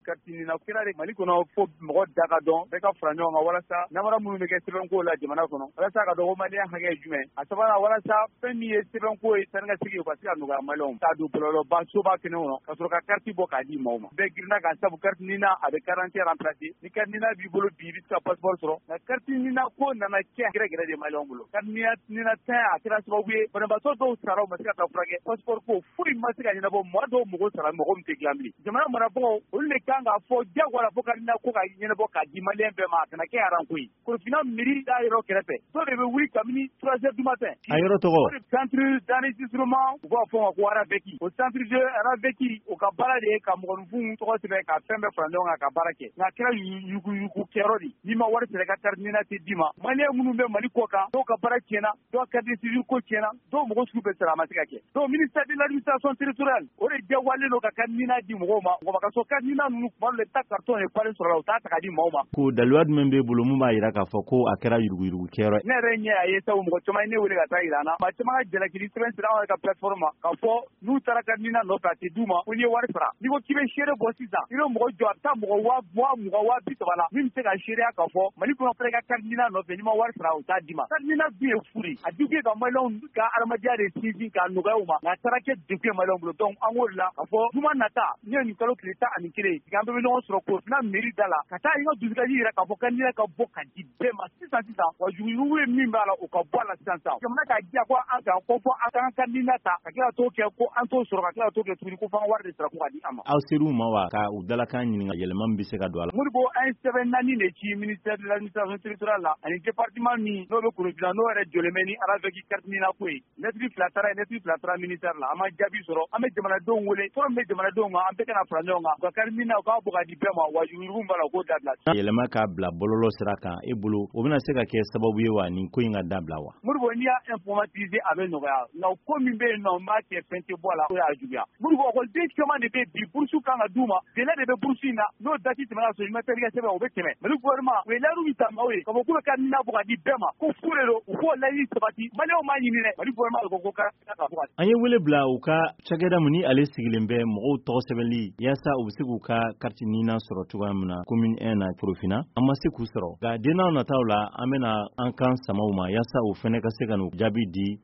carte NINA kɛra de Mali kɔnɔ, fo mɔgɔ da ka dɔn, bɛɛ ka fara ɲɔgɔn kan walasa namara minnu bɛ kɛ sɛbɛnko la jamana kɔnɔ, walasa ka dɔn ko maliyɛn hakɛ ye jumɛn. A sabanan, walasa fɛn min ye sɛbɛnko ye, taa ni ka segin, o ka se ka nɔgɔya maliyɛnw k'a don bɔlɔlɔba soba kɛnɛ kɔnɔ ka sɔrɔ ka carte bɔ k'a di maaw ma. Bɛɛ girinna ka sabu carte NINA, a bɛ carte d'identité remplacer. Ni carte NINA b'i bolo bi, i bɛ se ka passeport sɔrɔ. Nka carte NINA ko nana kɛ gɛrɛgɛrɛ de maliyɛnw bolo. Carte NINA tɛ, a kɛra sababu ye banabaatɔ dɔw sara, u ma se ka taa furakɛ. Passeport ko foyi ma se ka ɲɛnabɔ. Maa dɔw mago sara, mɔgɔ min tɛ dilan bilen. Jamana marabagaw, olu de kan k'a fɔ diyagoya la fo carte NINA ko ka ɲɛnabɔ k'a di maliyɛn bɛɛ ma, a kana kɛ aranko ye. Korofina mairie da yɔrɔ kɛrɛfɛ, dɔw de bɛ wuli kabini 3 heures du matin. A yɔrɔ tɔgɔ? Centre d'enregistrement, u b'a fɔ o ma ko RAVEC. O centre de RAVEC, o ka baara de ye ka mɔgɔninfinw tɔgɔ sɛbɛn, ka fɛn bɛɛ fara ɲɔgɔn kan, ka baara kɛ. Nka a kɛra yuruguyurugu kɛyɔrɔ de. N'i ma wari sara, i ka carte NINA tɛ d'i ma. Maliyɛn minnu bɛ Mali kɔ kan, dɔw ka baara tiɲɛna, dɔw ka carte de séjour ko tiɲɛna, dɔw mɔgɔ sugu bɛɛ sara, a ma se ka kɛ. Donc ministère de l'Administration territoriale, o de diyagoyalen don ka carte NINA di mɔgɔw ma. Mɔgɔ ka sɔrɔ carte NINA ninnu, tuma dɔw la, i bɛ taa carton de falen sɔrɔ la, u t'a ta ka di maaw ma. Ko daluya jumɛn b'e bolo mun b'a jira k'a fɔ ko a kɛra yuruguyurugu kɛyɔrɔ? Ne yɛrɛ ɲɛ a ye, sabu mɔgɔ caman ye ne wele ka taa yira an na. Maa caman ka jalakili sɛbɛn sira an yɛrɛ ka plateforme ma k'a fɔ n'u taara carte NINA nɔfɛ, a tɛ d'u ma ko n'i ye wari sara. N'i ko k'i bɛ seere bɔ sisan, i bɛ mɔgɔ jɔ, a bɛ taa mɔgɔ 20,000, 30,000 la min bɛ se ka seereya k'a fɔ Mali kɔnɔ fana, i ka carte NINA nɔfɛ, n'i ma wari sara, u t'a d'i ma. Carte NINA dun ye fu de ye. A di kun ye ka maliyɛnw ka adamadenya de sinsin k'a nɔgɔya u ma, nka a taara kɛ degun ye maliyɛnw bolo. Donc an k'o de la k'a fɔ juma nata n'o ye nin kalo tile 11 ye, an bɛɛ bɛ ɲɔgɔn sɔrɔ Korofina mairie da la ka taa i ka dusukasi yira k'a fɔ carte NINA ka bɔ ka di bɛɛ ma sisan sisan, wa yuruguyurugu ye min b'a la, o ka bɔ a la sisan sisan. Jamana k'a diya ko an kan ko fɔ an k'an carte NINA ta ka tila ka t'o kɛ ko an t'o sɔrɔ, ka tila ka t'o kɛ tuguni ko fo an ka wari de sara ko ka di an ma. Aw ser'u ma wa, ka u dalakan ɲininka yɛlɛma min bɛ se ka don a la? Modibo, an ye sɛbɛn naani de ci ministère de l'Administration territoriale la ani département min n'o bɛ Korofina, n'o yɛrɛ jɔlen bɛ ni RAVEC carte NINA ko ye. Lettre fila taara yen, lettre fila taara ministère la, an ma jaabi sɔrɔ. An bɛ jamanadenw wele, tɔɔrɔ min bɛ jamanadenw kan, an bɛɛ kana fara ɲɔgɔn kan u ka carte NINA, u k'a bɔ ka di bɛɛ ma, wa yuruguyurugu min b'a la, u k'o dabila. Yɛlɛma k'a bila bɔlɔlɔ sira kan, e bolo, o bɛna se ka kɛ sababu ye wa nin ko in ka dabila wa? Modibo, n'i y'a informatiser, a bɛ nɔgɔya. Nka ko min bɛ yen nɔ, n b'a kɛ fɛn tɛ bɔ a la, o y'a juguya. Modibo, ekɔliden caman de bɛ bi, bourse kan ka d'u ma, délai de bɛ bourse in na, n'o date tɛmɛna ka sɔrɔ i ma taa i ka sɛbɛn, o bɛ tɛmɛ. Mali gouvernement, u ye layidu min ta maaw ye k'a fɔ k'u bɛ carte NINA bɔ ka di bɛɛ ma, ko fu de don, u k'o layidu sabati. Maliyɛnw m'a ɲini dɛ, Mali gouvernement de ko ko carte NINA ka bɔ ka di. An ye wele bila u ka cakɛda min ni ale sigilen bɛ mɔgɔw tɔgɔ sɛbɛnli yaasa u bɛ se k'u ka carte NINA sɔrɔ cogoya min na commune 1 na Korofina, an ma se k'u sɔrɔ, nka den nataw la, an bɛna an kan sama u ma yaasa u fɛnɛ ka se ka n'u jaabi di.